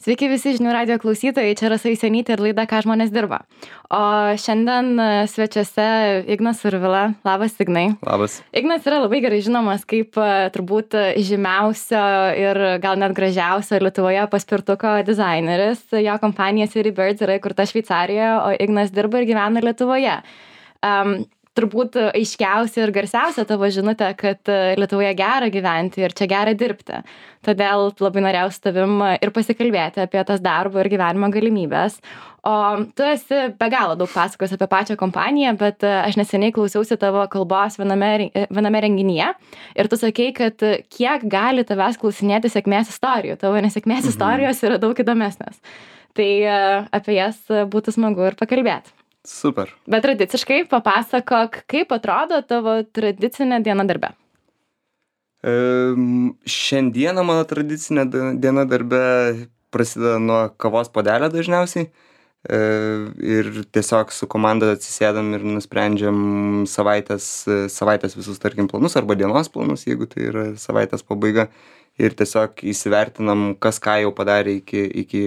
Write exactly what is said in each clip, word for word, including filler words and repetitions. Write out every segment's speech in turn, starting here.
Sveiki visi žinių radijo klausytojai, čia Rasa Isenytė ir laida Ką žmonės dirba. O šiandien svečiuose Ignas Survila. Labas, Ignai. Labas. Ignas yra labai gerai žinomas kaip turbūt žymiausio ir gal net gražiausio Lietuvoje paspirtuko dizaineris. Jo kompanija City Birds yra įkurta Šveicarijoje, o Ignas dirba ir gyvena Lietuvoje. Um, Turbūt aiškiausia ir garsiausia tavo žinutė, kad Lietuvoje gera gyventi ir čia gera dirbti. Todėl labai norėjau su tavim ir pasikalbėti apie tas darbo ir gyvenimo galimybės. O tu esi be galo daug pasakos apie pačią kompaniją, bet aš neseniai klausiausi tavo kalbos viename, viename renginyje ir tu sakei, kad kiek gali tavęs klausinėti sėkmės istorijų. Tavo nesėkmės mhm. istorijos yra daug įdomesnės. Tai apie jas būtų smagu ir pakalbėti. Super. Bet tradiciškai papasakok, kaip atrodo tavo tradicinė diena darbe. E, šiandieną mano tradicinė diena darbe prasideda nuo kavos puodelio dažniausiai. E, ir tiesiog su komanda atsisėdam ir nusprendžiam savaitės, savaitės visus, tarkim, planus arba dienos planus, jeigu tai yra savaitės pabaiga. Ir tiesiog įsivertinam, kas ką jau padarė iki, iki,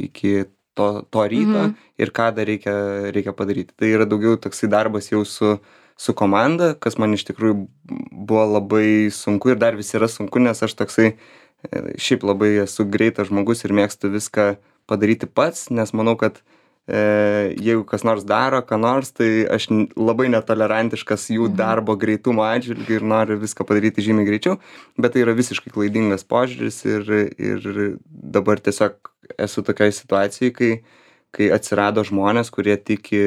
iki To, to ryto mhm. ir ką dar reikia, reikia padaryti. Tai yra daugiau toksai darbas jau su, su komanda, kas man iš tikrųjų buvo labai sunku ir dar vis yra sunku, nes aš toksai šiaip labai esu greitas žmogus ir mėgstu viską padaryti pats, nes manau, kad e, jeigu kas nors daro, ką nors, tai aš labai netolerantiškas jų mhm. darbo greitumo atžvilgiu ir noriu viską padaryti žymiai greičiau, bet tai yra visiškai klaidingas požiūris ir, ir dabar tiesiog esu tokioj situacijai, kai, kai atsirado žmonės, kurie tiki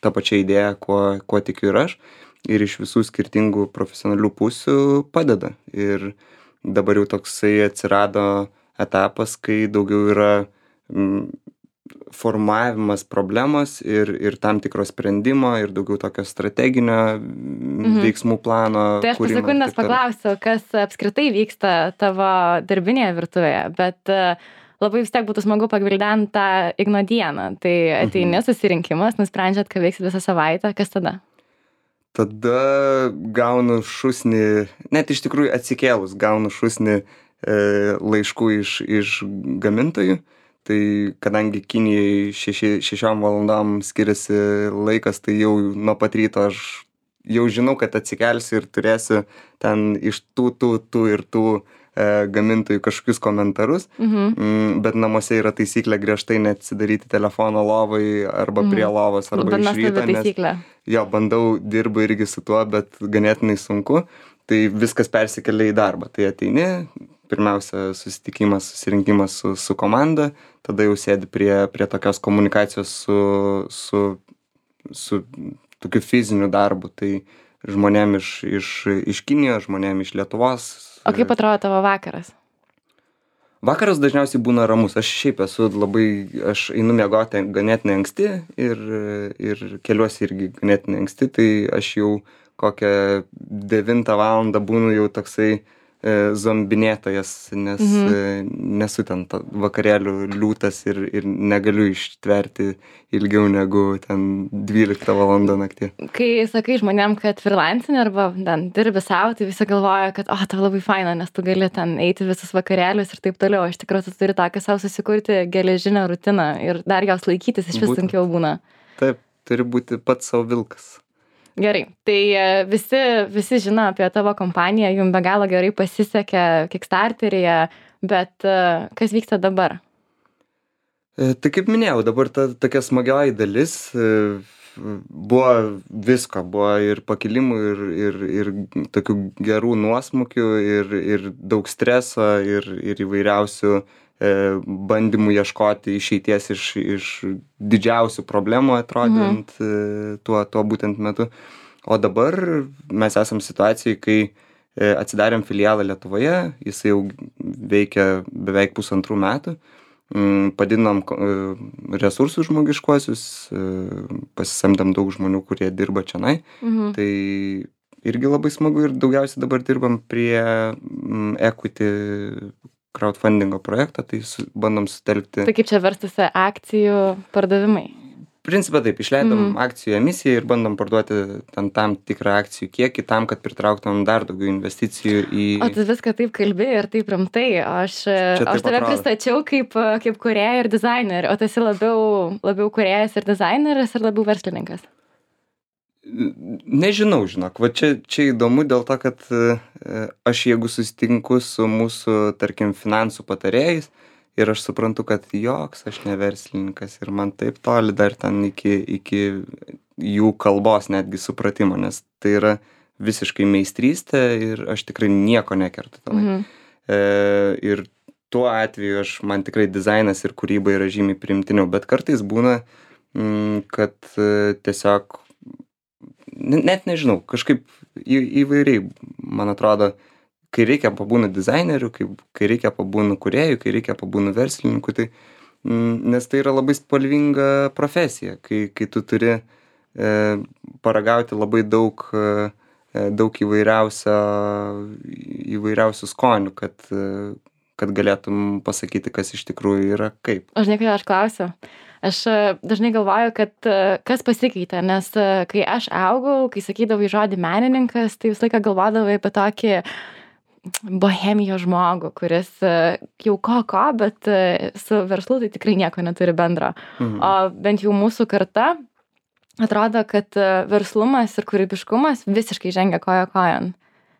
tą pačią idėją, kuo, kuo tikiu ir aš, ir iš visų skirtingų profesionalių pusių padeda. Ir dabar jau toksai atsirado etapas, kai daugiau yra m, formavimas problemos ir, ir tam tikro sprendimo ir daugiau tokio strateginio mhm. veiksmų plano. Tai aš po sekundės paklausiu, kas apskritai vyksta tavo darbinėje virtuvėje, bet labai vis tiek būtų smagu pagvildenti tą Igno dieną. Tai ateini mhm. susirinkimas, nusprendžiat, ką veiksit visą savaitę, kas tada? Tada gaunu šūsnį, net iš tikrųjų atsikėlus, gaunu šūsnį e, laiškų iš, iš gamintojų. Tai kadangi Kinijai šeši, šešiom valandom skiriasi laikas, tai jau nuo pat ryto aš jau žinau, kad atsikelsiu ir turėsiu ten iš tų, tų, tų ir tų e, gamintojų kažkokius komentarus. Mhm. Mm, bet namuose yra taisyklė griežtai neatsidaryti telefono lovai arba mhm. prie lovos arba iš ryto. Nes, jo, bandau, dirbu irgi su tuo, bet ganėtinai sunku. Tai viskas persikelia į darbą. Tai ateini, pirmiausia susitikimas, susirinkimas su, su komanda, tada jau sėdi prie, prie tokios komunikacijos su, su, su tokiu fiziniu darbu. Tai žmonėm iš, iš, iš Kinijos, žmonėm iš Lietuvos. O kaip atrodo tavo vakaras? Vakaras dažniausiai būna ramus. Aš šiaip esu labai, aš einu miegoti ganėtinai anksti ir, ir keliuosi irgi ganėtinai anksti, tai aš jau kokią devintą valandą būnu jau toksai e, zombinėtojas, nes mhm. e, nesu ten vakarėlių liūtas ir, ir negaliu ištverti ilgiau negu ten dvyliktą valandą naktį. Kai sakai žmonėm, kad freelancing arba ten dirbi savo, tai visi galvoja, kad o, tau labai faina, nes tu gali ten eiti visus vakarėlius ir taip toliau. Iš tikrųjų, tu turi tokią savo susikurti geležinę rutiną ir dar jos laikytis iš vis sunkiau būna. Taip, turi būti pats savo vilkas. Gerai, tai visi, visi žino apie tavo kompaniją, jums be galo gerai pasisekė Kickstarteryje, bet kas vyksta dabar? E, tai kaip minėjau, dabar ta tokia smagioji dalis e, buvo visko, buvo ir pakilimų, ir, ir, ir tokių gerų nuosmukių, ir, ir daug streso, ir, ir įvairiausių e, bandymų ieškoti išeities iš, iš didžiausių problemų atrodant mhm. e, tuo, tuo būtent metu. O dabar mes esam situacijai, kai e, atsidarėm filialą Lietuvoje, jisai jau veikia beveik pusantrų metų. Padidinom resursus žmogiškuosius, pasisamdėm daug žmonių, kurie dirba čionai. Mhm. Tai irgi labai smagu ir daugiausiai dabar dirbam prie equity crowdfundingo projektą, tai su, bandom sutelkti. Tai kaip čia verstusi akcijų pardavimai? Principe taip, išleidom Mhm. akcijų emisiją ir bandom parduoti ten tam tikrą akcijų kiekį tam, kad pritrauktumėm dar daugiau investicijų į... O tu viską taip kalbi ir taip rimtai, o aš, Čia aš taip tave atrodo. pristačiau kaip, kaip kūrėją ir dizainerį, o tu esi labiau, labiau kūrėjas ir dizaineris ar labiau verslininkas? Nežinau, žinok, va čia, čia įdomu dėl to, kad e, aš jeigu susitinku su mūsų, tarkim, finansų patarėjais ir aš suprantu, kad joks aš ne verslininkas ir man taip toli dar ten iki, iki jų kalbos netgi supratimo, nes tai yra visiškai meistrystė ir aš tikrai nieko nekertu tenai. Mhm. E, ir tuo atveju aš, man tikrai dizainas ir kūryba yra žymiai priimtiniau, bet kartais būna, mm, kad e, tiesiog net nežinau, kažkaip į, įvairiai, man atrodo, kai reikia pabūna dizainerių, kai, kai reikia pabūna kūrėjų, kai reikia pabūna verslininkų, tai, mm, nes tai yra labai spalvinga profesija, kai, kai tu turi e, paragauti labai daug, e, daug įvairiausio, įvairiausių skonių, kad, e, kad galėtum pasakyti, kas iš tikrųjų yra kaip. Aš žinai, kai aš klausiu. Aš dažnai galvoju, kad kas pasikeitė, nes kai aš augau, kai sakydavai žodį menininkas, tai visą laiką galvodavai apie tokį bohemijos žmogų, kuris jau ko ko, bet su verslu tai tikrai nieko neturi bendro. Mhm. O bent jau mūsų karta atrodo, kad verslumas ir kūrybiškumas visiškai žengia koja kojon.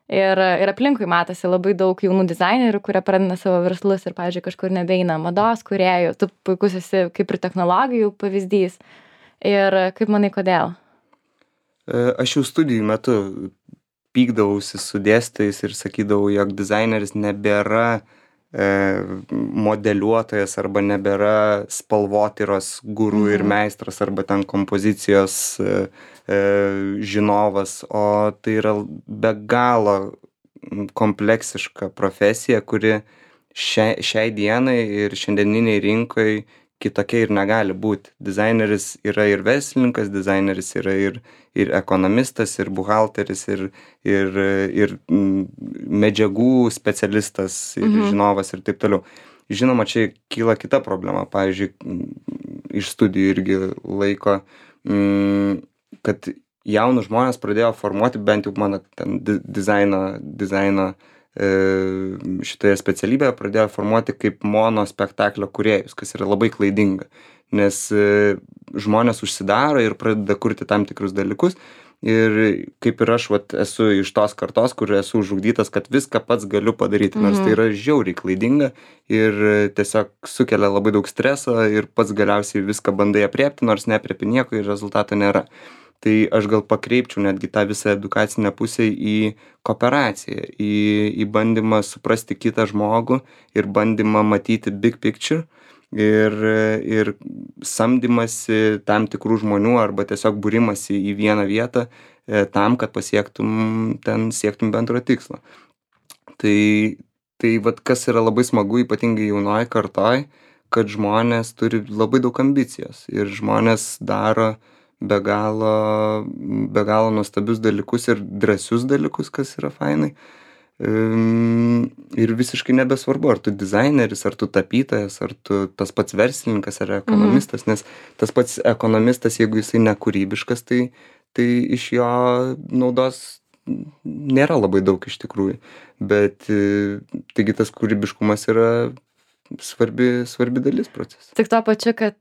Ir, ir aplinkui matosi labai daug jaunų dizainerių, kurie pradeda savo verslus ir, pavyzdžiui, kažkur nebeina mados kūrėjų, tu puikus esi kaip ir technologijų pavyzdys. Ir kaip manai, kodėl? Aš jau studijų metu pykdavausi su dėstytojais ir sakydavau, jog dizaineris nebėra e, modeliuotojas arba nebėra spalvotyros guru mhm. ir meistras arba ten kompozicijos e, žinovas, o tai yra be galo kompleksiška profesija, kuri šiai, šiai dienai ir šiandieniniai rinkai kitokia ir negali būti. Dizaineris yra ir verslininkas, dizaineris yra ir, ir ekonomistas, ir buhalteris, ir, ir, ir medžiagų specialistas, ir mhm. žinovas ir taip toliau. Žinoma, čia kyla kita problema, pavyzdžiui, iš studijų irgi laiko, mm, kad jaunus žmonės pradėjo formuoti, bent jau mano ten dizaino, dizaino e, šitoje specialybėje pradėjo formuoti kaip mono spektaklio kūrėjus, kas yra labai klaidinga, nes e, žmonės užsidaro ir pradeda kurti tam tikrus dalykus ir kaip ir aš vat, esu iš tos kartos, kur esu užugdytas, kad viską pats galiu padaryti, nors mhm. tai yra žiauriai klaidinga ir tiesiog sukelia labai daug streso ir pats galiausiai viską bandai apriepti, nors neapriepi nieko ir rezultato nėra. Tai aš gal pakreipčiau netgi tą visą edukacinę pusę į kooperaciją, į, į bandymą suprasti kitą žmogų ir bandymą matyti big picture ir, ir samdymasi tam tikrų žmonių arba tiesiog būrimasi į vieną vietą e, tam, kad pasiektum, ten siektum bendro tikslo. Tai, tai vat kas yra labai smagu, ypatingai jaunoji kartoj, kad žmonės turi labai daug ambicijos ir žmonės daro be galo, be galo nuostabius dalykus ir drąsius dalykus, kas yra fainai. Ir visiškai nebesvarbu, ar tu dizaineris, ar tu tapytojas, ar tu tas pats verslininkas, ar ekonomistas, mhm. nes tas pats ekonomistas, jeigu jisai nekūrybiškas, tai, tai iš jo naudos nėra labai daug iš tikrųjų. Bet taigi tas kūrybiškumas yra svarbi, svarbi dalis proceso. Tik tuo pačiu, kad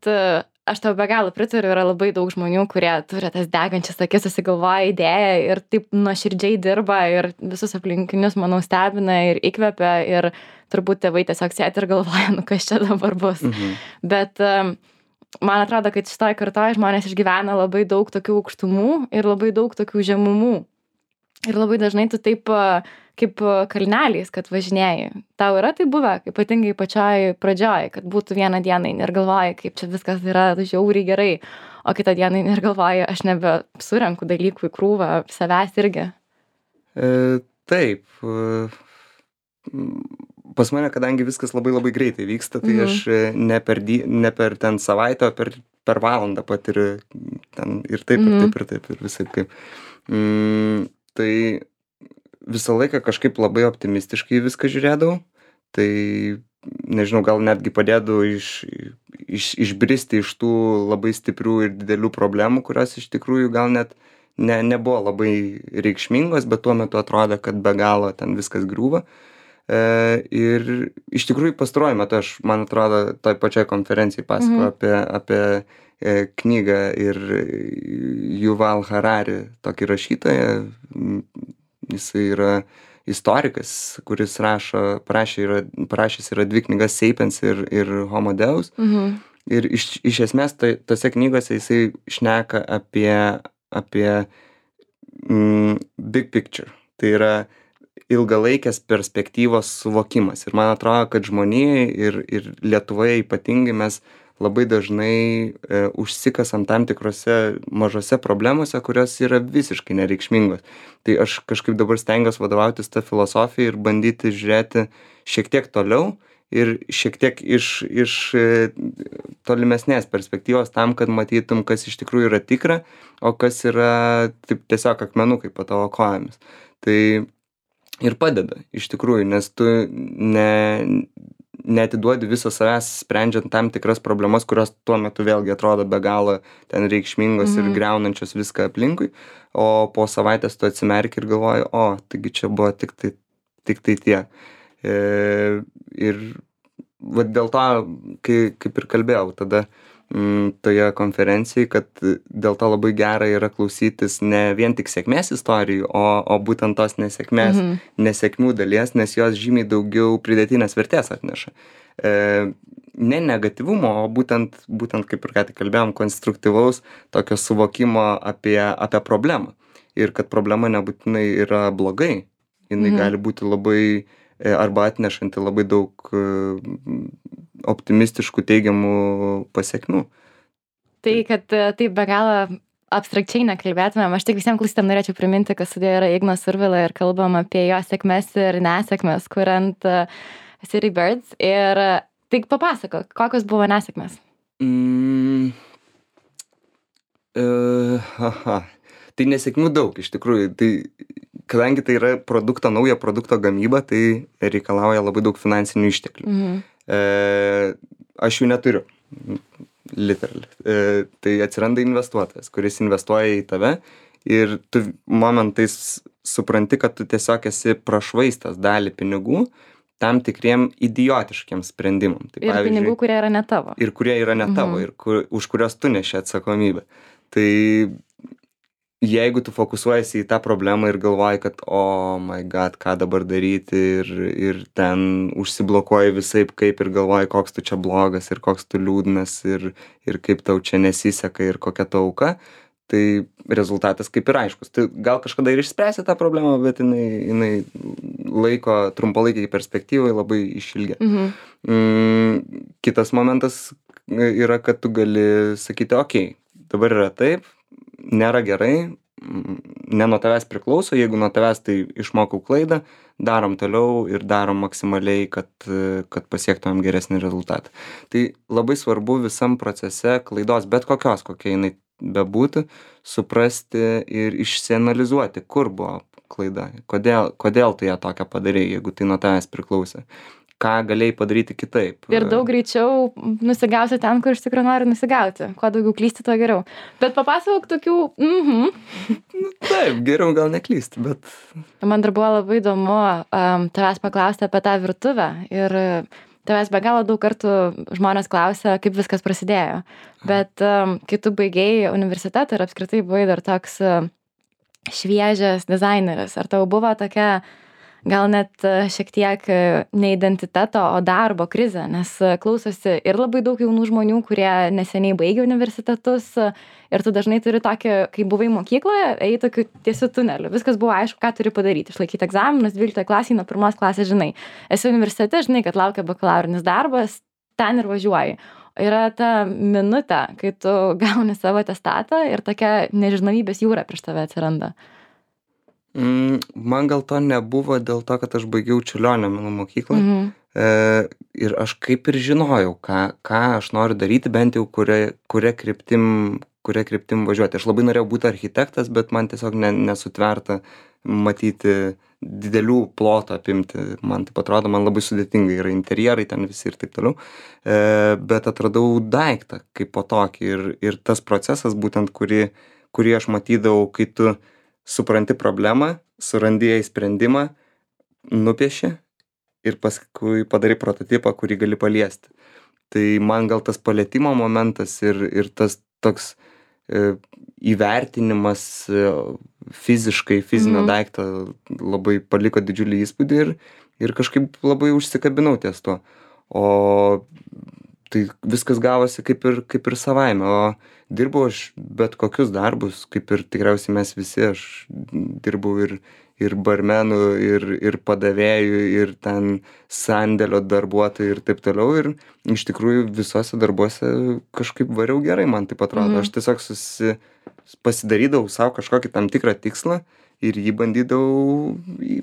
aš tau be galo pritariu, yra labai daug žmonių, kurie turi tas degančias akis, susigalvoja idėją ir taip nuoširdžiai dirba ir visus aplinkinius, manau, stebina ir įkvepia ir turbūt tėvai tiesiog sėdi ir galvoja, nu kas čia dabar bus. Mhm. Bet man atrodo, kad šitoj kartoj žmonės išgyvena labai daug tokių aukštumų ir labai daug tokių žemumų. Ir labai dažnai tu taip kaip kalneliais, kad važinėjai. Tau yra tai buvę, ypatingai pačioj pradžioj, kad būtų vieną dieną ir galvoji, kaip čia viskas yra žiauriai gerai, o kitą dieną ir galvoji, aš nebe surenku dalykų į krūvą, savęs irgi. E, taip. Pas mane, kadangi viskas labai labai greitai vyksta, tai mhm. aš ne per, di, ne per ten savaitę, o per, per valandą patiriu ten ir taip, mhm. ir taip, ir taip, ir visai kaip. Mm, tai visą laiką kažkaip labai optimistiškai viską žiūrėdavau, tai nežinau, gal netgi padėdavau iš, iš, išbristi iš tų labai stiprių ir didelių problemų, kurios iš tikrųjų gal net ne, nebuvo labai reikšmingos, bet tuo metu atrodė, kad be galo ten viskas griūva. E, ir iš tikrųjų pastaruoju metu aš, man atrodo, toj pačioj konferencijai pasakojau Mhm. apie, apie e, knygą ir Yuval Harari, tokį rašytoją. Jisai yra istorikas, kuris rašo, parašė yra, parašęs yra dvi knygas Sapiens ir, ir Homo Deus. Mhm. Ir iš, iš esmės tai, tose knygose jisai šneka apie, apie mm, big picture. Tai yra ilgalaikės perspektyvos suvokimas. Ir man atrodo, kad žmonijai ir, ir Lietuvoje ypatingai mes labai dažnai e, užsikasam tam tikrose mažose problemose, kurios yra visiškai nereikšmingos. Tai aš kažkaip dabar stengiuosi vadovautis tą filosofiją ir bandyti žiūrėti šiek tiek toliau ir šiek tiek iš, iš e, tolimesnės perspektyvos tam, kad matytum, kas iš tikrųjų yra tikra, o kas yra taip, tiesiog akmenukai po tavo kojomis. Tai ir padeda, iš tikrųjų, nes tu ne, neatiduodi viso savęs sprendžiant tam tikras problemas, kurios tuo metu vėlgi atrodo be galo ten reikšmingos Mhm. ir greunančios viską aplinkui, o po savaitės tu atsimerki ir galvoji, o, taigi čia buvo tik tai, tik tai tie. E, ir va dėl to, kai, kaip ir kalbėjau, tada mm, toje konferencijai, kad dėl to labai gera yra klausytis ne vien tik sėkmės istorijų, o, o būtent tos nesėkmės, Mhm. nesėkmių dalies, nes jos žymiai daugiau pridėtinės vertės atneša. E, ne negatyvumo, o būtent, būtent kaip ir ką tik kalbėjom, konstruktyvaus tokio suvokimo apie, apie problemą. Ir kad problema nebūtinai yra blogai, jinai Mhm. gali būti labai e, arba atnešanti labai daug e, optimistiškų teigiamų pasiekmių. Tai, kad e, taip be galo abstrakčiai nekalbėtumėm, aš tik visiems klausytėm norėčiau priminti, kad studijoje yra Ignas Survila ir kalbam apie jo sėkmes ir nesėkmes, kuriant uh, City Birds. Ir uh, tik papasakok, kokios buvo nesėkmės? Mm, uh, aha. Tai nesėkmių daug iš tikrųjų. Tai, kadangi tai yra produkto, naujo produkto gamyba, tai reikalauja labai daug finansinių išteklių. Mhm. E, aš jų neturiu. Literally. E, tai atsiranda investuotojas, kuris investuoja į tave ir tu momentais supranti, kad tu tiesiog esi prašvaistęs dalį pinigų tam tikriem idiotiškiem sprendimam. Tai, Ir pinigų, kurie yra ne tavo. Ir kurie yra ne tavo, Mhm. ir kur, už kurios tu neši atsakomybę. Tai jeigu tu fokusuojasi į tą problemą ir galvoji, kad oh my god, ką dabar daryti ir, ir ten užsiblokuoji visaip kaip ir galvoji, koks tu čia blogas ir koks tu liūdnas ir, ir kaip tau čia nesiseka ir kokia tau auka, tai rezultatas kaip ir aiškus. Tai gal kažkada ir išspręsi tą problemą, bet jinai, jinai laiko trumpalaikiai perspektyvai labai išilgia. Mhm. Mm, kitas momentas yra, kad tu gali sakyti, okei, okay, dabar yra taip, nėra gerai, ne nuo tavęs priklauso, jeigu nuo tavęs tai išmokau klaidą, darom toliau ir darom maksimaliai, kad, kad pasiektumėm geresnį rezultatą. Tai labai svarbu visam procese klaidos, bet kokios, kokia jinai bebūtų, suprasti ir išsianalizuoti, kur buvo klaida, kodėl, kodėl tu ją tokią padarei, jeigu tai nuo tavęs priklausė. Ką galėjai padaryti kitaip. Ir daug greičiau nusigausi ten, kur iš tikrųjų nori nusigauti. Kuo daugiau klysti, tuo geriau. Bet papasakok tokių... Mhm. Nu, taip, geriau gal neklysti, bet... Man dar buvo labai įdomu um, tavęs paklausti apie tą virtuvę. Ir tavęs be galo daug kartų žmonės klausia, kaip viskas prasidėjo. Bet um, kai tu baigėjai universitetą ir apskritai buvai dar toks uh, šviežias dizaineris, ar tau buvo tokia... gal net šiek tiek ne identiteto, o darbo krizė, nes klausosi ir labai daug jaunų žmonių, kurie neseniai baigė universitetus ir tu dažnai turi tokį, kai buvai mokykloje, ėjai tokiu tiesiu tuneliu. Viskas buvo aišku, ką turi padaryti. Išlaikyti egzaminus, dvyliktoje klasėje, nuo pirmos klasės žinai. Esi universitete, žinai, kad laukia bakalaurinis darbas, ten ir važiuoji. Yra ta minutė, kai tu gauni savo atestatą ir tokia nežinomybės jūra prieš tave atsiranda. Mm, man gal to nebuvo dėl to, kad aš baigiau Čiurlionio menų mokyklą. Mhm. E, ir aš kaip ir žinojau, ką, ką aš noriu daryti, bent jau kuria, kuria kryptim, kuria kryptim važiuoti. Aš labai norėjau būti architektas, bet man tiesiog ne, nesutverta matyti didelių plotų apimti. Man taip atrodo, man labai sudėtingai yra interjerai ten visi ir taip toliau. E, bet atradau daiktą kaip po tokį ir, ir tas procesas būtent, kurį, kurį aš matydavau, kai tu supranti problemą, surandi jai sprendimą, nupieši ir paskui padarai prototipą, kurį gali paliesti. Tai man gal tas palietimo momentas ir, ir tas toks e, įvertinimas e, fiziškai, fizinio mm. daikto labai paliko didžiulį įspūdį ir, ir kažkaip labai užsikabinau ties to. O tai viskas gavosi kaip ir, kaip ir savaime. O dirbau aš bet kokius darbus, kaip ir tikriausiai mes visi, aš dirbau ir ir barmenų, ir, ir padavėjų, ir ten sandėlio darbuotojų ir taip toliau. Ir iš tikrųjų visose darbuose kažkaip variau gerai, man taip atrodo. Mm. Aš tiesiog susi, pasidarydavau savo kažkokį tam tikrą tikslą ir jį bandydavau į,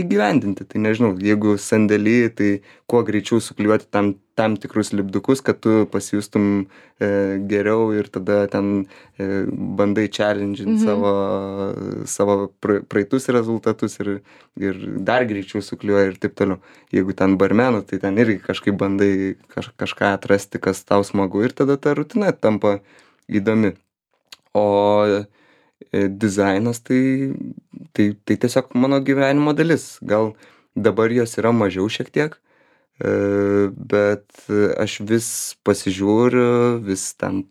įgyvendinti. Tai nežinau, jeigu sandėly, tai kuo greičiau suklijuoti tam, tam tikrus lipdukus, kad tu pasijustum e, geriau ir tada ten e, bandai challenging mm-hmm. savo, savo praeitus rezultatus ir, ir dar greičiau suklijuoji ir taip toliau. Jeigu ten barmenų, tai ten irgi kažkaip bandai kaž, kažką atrasti, kas tau smagu ir tada ta rutina tampa įdomi. O dizainas tai, tai, tai tiesiog mano gyvenimo dalis. Gal dabar jos yra mažiau šiek tiek, bet aš vis pasižiūriu, vis ten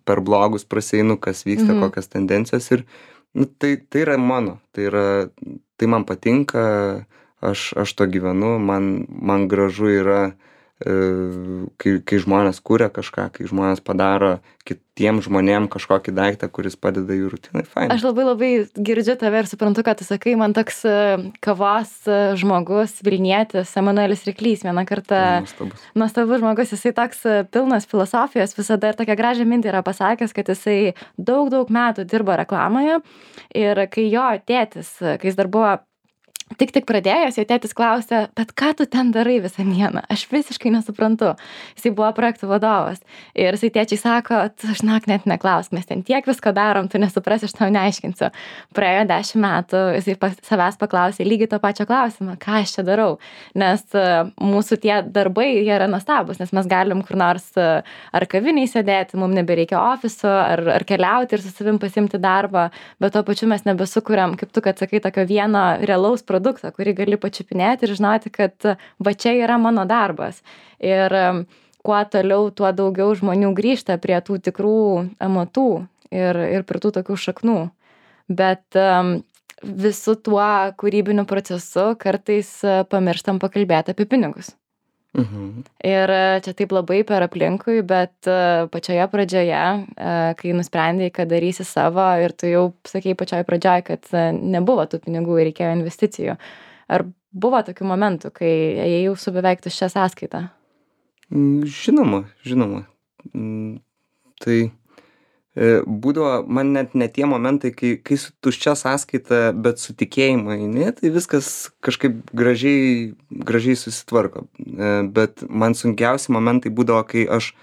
per blogus praseinu, kas vyksta, mhm. kokias tendencijos ir nu, tai, tai yra mano, tai, yra, tai man patinka, aš, aš to gyvenu, man, man gražu yra Kai, kai žmonės kuria kažką, kai žmonės padaro kitiem žmonėm kažkokį daiktą, kuris padeda jų rutinai, fainai. Aš labai labai girdžiu tave ir suprantu, kad tu sakai, man toks kavos žmogus, Vilnietis, Emanuelis Ryklys vieną kartą. Nuostabus. Nuostabus žmogus, jisai toks pilnas filosofijos visada ir tokią gražią mintį yra pasakęs, kad jisai daug, daug metų dirbo reklamoje ir kai jo tėtis, kai jis dar buvo Tik tik pradėjęs, jo tėtis klausė, bet ką tu ten darai visą dieną? Aš visiškai nesuprantu. Jisai buvo projektų vadovas. Ir jisai tėčiai sako, tu žinok, net neklausk, mes ten tiek visko darom, tu nesuprasi, aš tau neaiškinsiu. Praėjo dešimt metų, jisai pas, savęs paklausė lygiai to pačio klausimą, ką aš čia darau. Nes uh, mūsų tie darbai, jie yra nuostabus, nes mes galim kur nors uh, ar kaviniai sėdėti, mums nebereikia ofiso, ar, ar keliauti ir su savim pasimti darbą, bet tuo pačiu mes nebesukuriam, kaip tu, kad sakai, tokio vieno realaus produktą, kurį gali pačiupinėti ir žinoti, kad va čia yra mano darbas. Ir kuo toliau, tuo daugiau žmonių grįžta prie tų tikrų amatų ir, ir prie tų tokių šaknų. Bet um, visu tuo kūrybiniu procesu kartais pamirštam pakalbėti apie pinigus. Mhm. Ir čia taip labai per aplinkui, bet pačioje pradžioje, kai nusprendėjai, kad darysi savo ir tu jau sakei pačioje pradžioje, kad nebuvo tų pinigų ir reikėjo investicijų. Ar buvo tokių momentų, kai ėjau su beveik tuščia sąskaita? Žinoma, žinoma. Tai būdavo man net ne tie momentai, kai, kai su tuščia sąskaita, bet su tikėjimu eini, tai viskas kažkaip gražiai, gražiai susitvarko. Bet man sunkiausi momentai būdavo, kai aš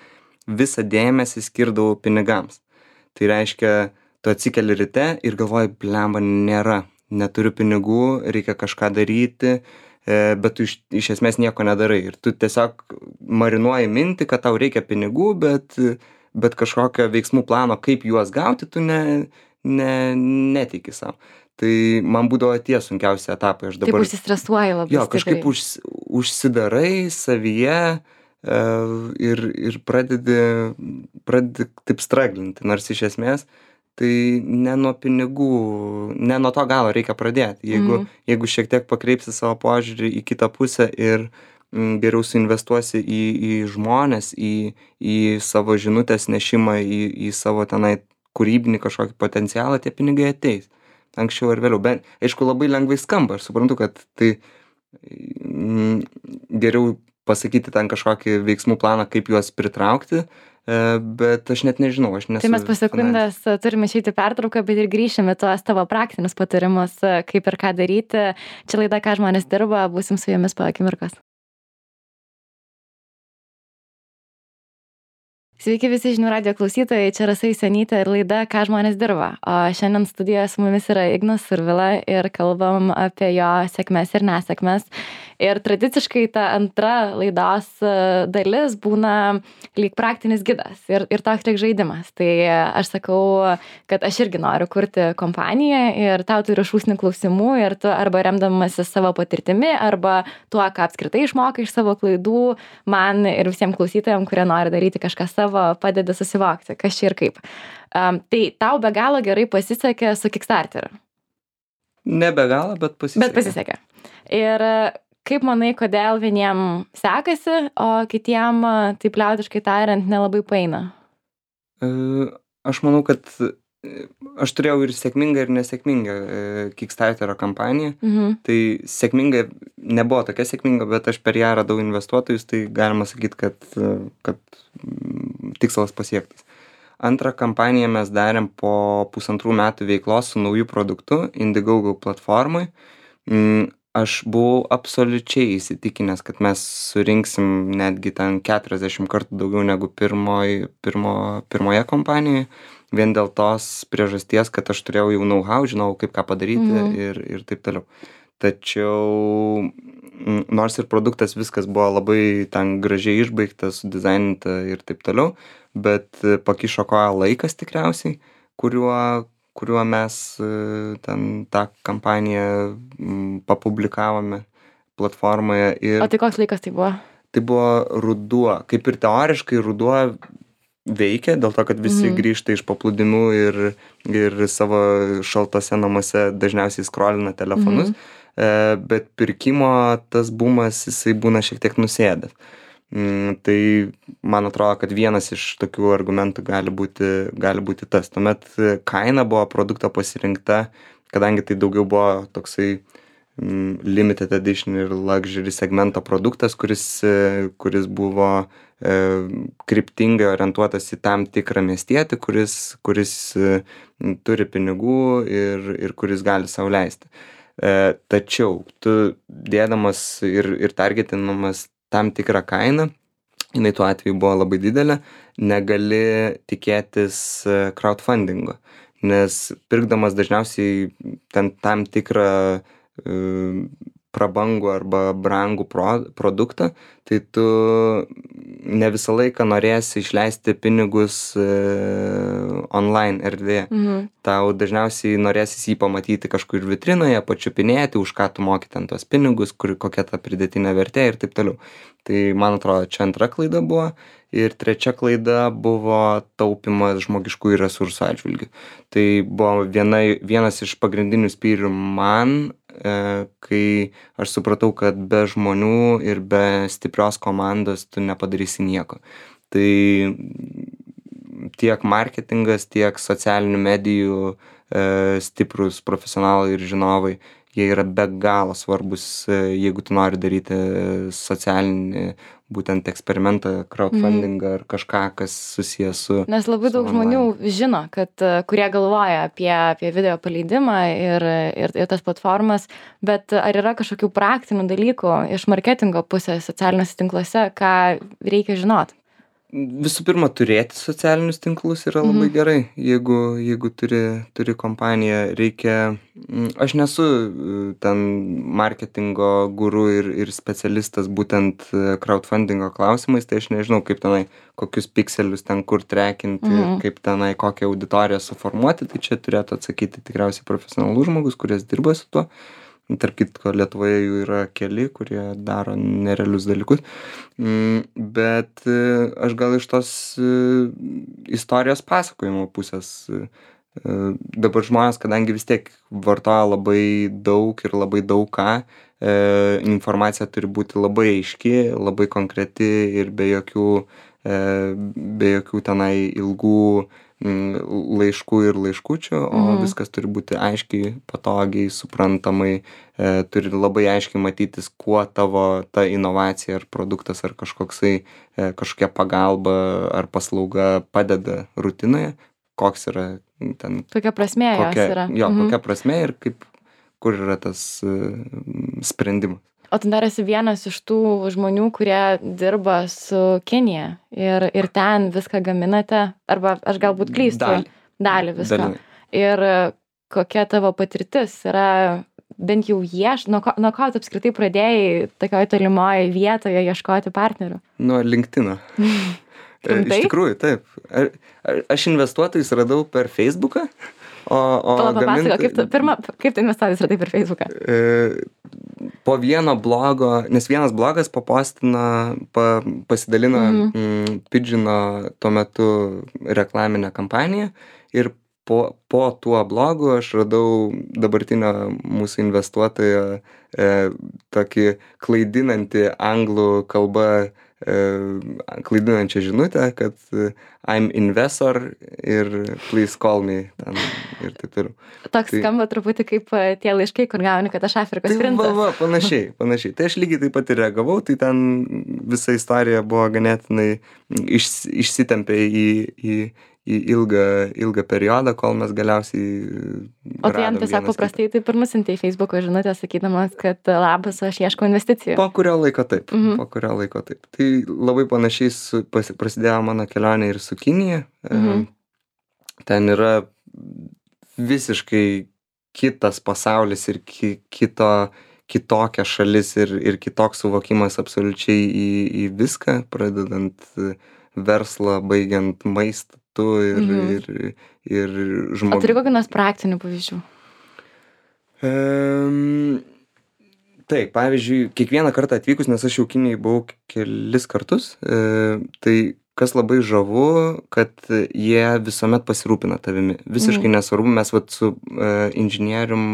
visą dėmesį skirdavau pinigams. Tai reiškia, tu atsikeli ryte ir galvoji, blemba, nėra, neturiu pinigų, reikia kažką daryti, bet tu iš, iš esmės nieko nedarai. Ir tu tiesiog marinuoji mintį, kad tau reikia pinigų, bet bet kažkokio veiksmų plano, kaip juos gauti, tu ne, ne, netiki savo. Tai man būdavo tie sunkiausi etapai. Aš dabar, taip užsistresuoji labai. Jo, kažkaip už, užsidarai savyje e, ir, ir pradedi, pradedi taip straglinti, nors iš esmės tai ne nuo pinigų, ne nuo to galo reikia pradėti. Jeigu, mm. jeigu šiek tiek pakreipsi savo požiūrį į kitą pusę ir geriau suinvestuosi į, į žmones, į, į savo žinutės nešimą, į, į savo tenai kūrybinį kažkokį potencialą, tie pinigai ateis. Anksčiau ar vėliau. Bet, aišku, labai lengvai skamba. Aš suprantu, kad tai mm, geriau pasakyti ten kažkokį veiksmų planą, kaip juos pritraukti, bet aš net nežinau. Aš nesu, tai mes po sekundės turime išeiti pertrauką, bet ir grįšime tuos tavo praktinius patarimus, kaip ir ką daryti. Čia laida, ką žmonės dirba, būsim su jumis po akimirkos. Sveiki visi žinių radijo klausytojai, čia Rasa Jusionytė ir laida Ką žmonės dirba. O šiandien studijoje su mumis yra Ignas Survila ir kalbam apie jo sėkmes ir nesėkmes. Ir tradiciškai ta antra laidos dalis būna lyg praktinis gidas ir, ir toks lyg žaidimas. Tai aš sakau, kad aš irgi noriu kurti kompaniją ir tau turiu šūsnį klausimų ir tu arba remdamasi savo patirtimi, arba tuo, ką apskritai išmokai iš savo klaidų, man ir visiems klausytojams, kurie nori daryti kažką savo, padeda susivokti, kas čia ir kaip. Um, tai tau be galo gerai pasisekė su Kickstarteriu. Ne be galo, bet pasisekė. Bet pasisekė. Ir kaip manai, kodėl vieniem sekasi, o kitiem, taip liaudiškai tariant, nelabai paeina? Aš manau, kad aš turėjau ir sėkmingą, ir nesėkmingą Kickstarterio kampaniją. Mhm. Tai sėkminga nebuvo tokia sėkminga, bet aš per ją radau investuotojus, tai galima sakyti, kad, kad tikslas pasiektas. Antrą kampaniją mes darėm po pusantrų metų veiklos su nauju produktu Indiegogo platformai. Aš buvau absoliučiai įsitikinęs, kad mes surinksim netgi ten keturiasdešimt kartų daugiau negu pirmoj, pirmo, pirmoje kompanijoje, vien dėl tos priežasties, kad aš turėjau jau know-how, žinau, kaip ką padaryti mhm. ir, ir taip toliau. Tačiau nors ir produktas viskas buvo labai ten gražiai išbaigtas, sudizaininta ir taip toliau, bet pakišo koją laikas tikriausiai, kuriuo kuriuo mes ten tą kampaniją papublikavome platformoje. Ir o tai koks laikas tai buvo? Tai buvo ruduo. Kaip ir teoriškai ruduo veikia, dėl to, kad visi mhm. grįžta iš paplūdimių ir, ir savo šaltose namuose dažniausiai skrolina telefonus, mhm. bet pirkimo tas bumas, jisai būna šiek tiek nusėdęs. Tai man atrodo, kad vienas iš tokių argumentų gali būti, gali būti tas. Tuomet kaina buvo produkto pasirinkta, kadangi tai daugiau buvo toksai limited edition ir luxury segmento produktas, kuris, kuris buvo e, kryptingai orientuotas į tam tikrą miestietį, kuris, kuris e, turi pinigų ir, ir kuris gali sau leisti. E, tačiau tu dėdamas ir, ir targetinamas tam tikrą kainą, jinai tuo atveju buvo labai didelė, negali tikėtis crowdfundingo, nes pirkdamas dažniausiai ten tam tikrą e, prabangų arba brangų pro, produktą, tai tu ne visą laiką norėsi išleisti pinigus e, online erdvėje. Mhm. Tau dažniausiai norėsis jį pamatyti kažkur vitrinoje, pačiupinėti, už ką tu moki ten tuos pinigus, kur, kokia ta pridėtinė vertė ir taip toliau. Tai man atrodo, čia antra klaida buvo. Ir trečia klaida buvo taupimas žmogiškųjų resursų atžvilgių. Tai buvo viena, vienas iš pagrindinių spyrių man, e, kai aš supratau, kad be žmonių ir be stiprios komandos tu nepadarysi nieko. Tai tiek marketingas, tiek socialinių medijų e, stiprus profesionalai ir žinovai, jie yra be galo svarbus, jeigu tu nori daryti socialinį būtent eksperimentą, crowdfundingą ar kažką, kas susijęs su... Nes labai daug žmonių žino, kad kurie galvoja apie, apie video paleidimą ir, ir, ir tas platformas, bet ar yra kažkokių praktinių dalykų iš marketingo pusės socialiniuose tinkluose, ką reikia žinoti? Visų pirma, turėti socialinius tinklus yra labai mhm. gerai. Jeigu, jeigu turi, turi kompaniją, reikia... Aš nesu ten marketingo guru ir, ir specialistas būtent crowdfundingo klausimais, tai aš nežinau, kaip tenai, kokius pikselius ten kur trekinti, mhm. kaip tenai kokią auditoriją suformuoti, tai čia turėtų atsakyti tikriausiai profesionalus žmogus, kuris dirba su tuo. Tarp kitko, Lietuvoje jų yra keli, kurie daro nerealius dalykus. Bet aš gal iš tos istorijos pasakojimo pusės. Dabar žmonės, kadangi vis tiek vartoja labai daug ir labai daug ką, informacija turi būti labai aiški, labai konkreti ir be jokių, be jokių tenai ilgų laiškų ir laiškučių, o mhm. viskas turi būti aiškiai, patogiai, suprantamai, e, turi labai aiškiai matytis, kuo tavo ta inovacija ar produktas ar kažkoksai, e, kažkokia pagalba ar paslauga padeda rutinoje, koks yra ten... Kokia prasmė kokia, jos yra. Jo, mhm. kokia prasmė ir kaip, kur yra tas e, sprendimas. O tu dar esi vienas iš tų žmonių, kurie dirba su Kinija ir, ir ten viską gaminate, arba aš galbūt klystu. Dalį. Dalį visko. Dalinai. Ir kokia tavo patirtis yra, bent jau ieš, nuo ko, nuo ko tu apskritai pradėjai tokioje tolimoje vietoje ieškoti partnerių? Nuo LinkedIno. Rimtai? Iš tikrųjų, taip. A- a- Aš investuotojus radau per Facebooką, o, o Pala, papasako, gaminti- kaip tu, pirma, kaip tu investuotis radai per Facebooką? E, po vieno blogo, nes vienas blogas papostino, pa, pasidalino Mhm. mm, Pidžino tuo metu reklaminę kampaniją ir po, po tuo blogu aš radau dabartinio mūsų investuotojo e, tokį klaidinantį anglų kalbą e, klaidinančią žinutę, kad e, I'm investor ir please call me ten, ir taip toliau. Toks Tai- skamba truputį kaip e, tie laiškai, kur gauni, kad aš Afrikos Tai va, princas. va, panašiai, panašiai. Tai aš lygiai taip pat ir reagavau, tai ten visa istorija buvo ganėtinai iš, išsitempė į, į, į ilgą, ilgą periodą, kol mes galiausiai O tai jam radom tiesiog vienas paprastai taip ir nusintė į Facebook'o žinutę, sakydamas, kad labas, aš ieškau investicijų. kitą. Po kurio laiko taip, Mhm. po kurio laiko taip. Tai labai panašiai su, pas, prasidėjo mano kelionė ir su Kinija. Mhm. Ten yra visiškai kitas pasaulis ir ki, kito, kitokia šalis ir, ir kitoks suvokimas absoliučiai į, į viską, pradedant verslą, baigiant maistu ir, Mhm. ir, ir O žmogus. turi kokių nors praktinių pavyzdžių? Um, taip, pavyzdžiui, kiekvieną kartą atvykus, nes aš jau Kinijai buvau kelis kartus, e, tai kas labai žavu, kad jie visuomet pasirūpina tavimi. Visiškai nesvarbu, mes vat su e, inžinierium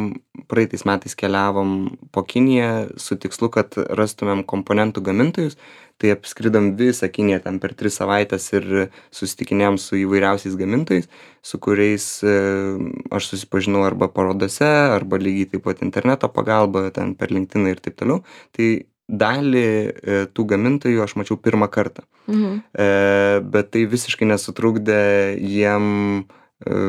praeitais metais keliavom po Kiniją su tikslu, kad rastumėm komponentų gamintojus. Tai apskridom visą Kiniją ten per tris savaitės ir susitikinėjom su įvairiausiais gamintojais, su kuriais e, aš susipažinau arba parodose, arba lygiai taip pat interneto pagalba, ten per LinkedIn ir taip toliau. Tai dalį e, tų gamintojų aš mačiau pirmą kartą. Mhm. E, bet tai visiškai nesutrukdė jiem e,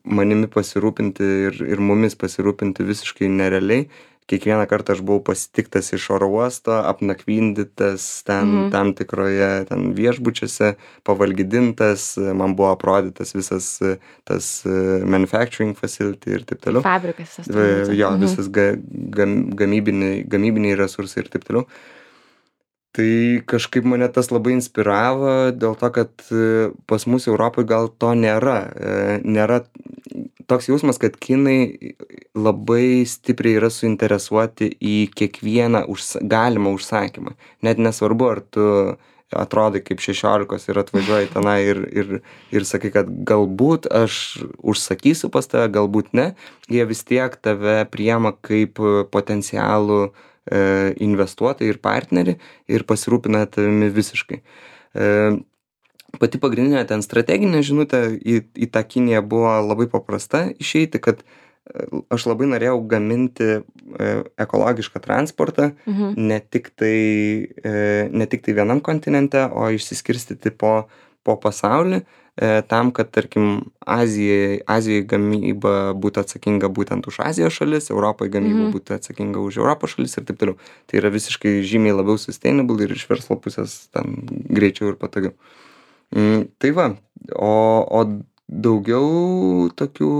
manimi pasirūpinti ir, ir mumis pasirūpinti visiškai nerealiai. Kiekvieną kartą aš buvau pasitiktas iš oro uosto, apnakvindytas ten Mhm. tam tikroje ten viešbučiuose, pavalgydintas, man buvo aprodytas visas e, tas e, manufacturing facility ir taip toliau. Fabrikas. tas E, turbūt. Jo, Mhm. visas ga, gam, gamybiniai, gamybiniai resursai ir taip toliau. Tai kažkaip mane tas labai inspiravo dėl to, kad e, pas mus Europoje gal to nėra. E, Nėra toks jausmas, kad kinai labai stipriai yra suinteresuoti į kiekvieną užsa galimą užsakymą. Net nesvarbu, ar tu atrodai kaip šešiolikos ir atvažiuoji tenai ir, ir, ir sakai, kad galbūt aš užsakysiu pas tave, galbūt ne. Jie vis tiek tave priema kaip potencialų e, investuotojai ir partnerį ir pasirūpina tavimi visiškai. E, pati pagrindinė ten strateginė žinutė į, į tą Kiniją buvo labai paprasta išeiti, kad e, aš labai norėjau gaminti e, ekologišką transportą, Mhm. ne tik tai, e, ne tik tai vienam kontinente, o išsiskirstyti po, po pasaulį, e, tam, kad, tarkim, Azijai, Azijai gamyba būtų atsakinga būtent už Azijos šalis, Europai gamyba Mhm. būtų atsakinga už Europos šalis ir taip toliau. Tai yra visiškai žymiai labiau sustainable ir iš verslo pusės ten greičiau ir patogiau. Mm, tai va, o, o daugiau tokių,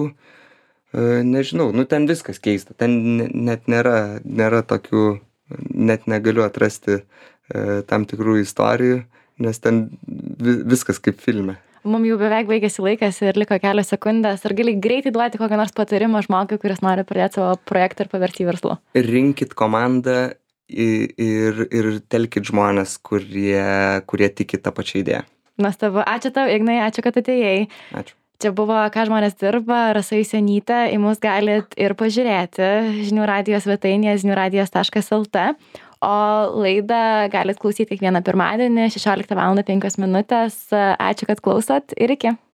e, nežinau, nu ten viskas keista, ten ne- net nėra, nėra tokių, net negaliu atrasti e, tam tikrų istorijų, nes ten vi, viskas kaip filme. Mums jau beveik baigėsi laikas ir liko kelios sekundės. Ar gali greitai duoti kokią nors patarimą žmogui, kuris nori pradėti savo projektą ir paversti į verslą? Rinkit komandą i- ir, ir telkit žmonės, kurie, kurie tiki tą pačią idėją. Nuostabu. Ačiū tau, Ignai, ačiū, kad atėjai. Ačiū. Čia buvo Ką žmonės dirba, Rasa Jusionytė, į mus galit ir pažiūrėti žinių radijos svetainėje žinių radijas taškas lt, o laidą galit klausyti kiekvieną pirmadienį šešioliktą valandą penkios minutės. Ačiū, kad klausot ir iki.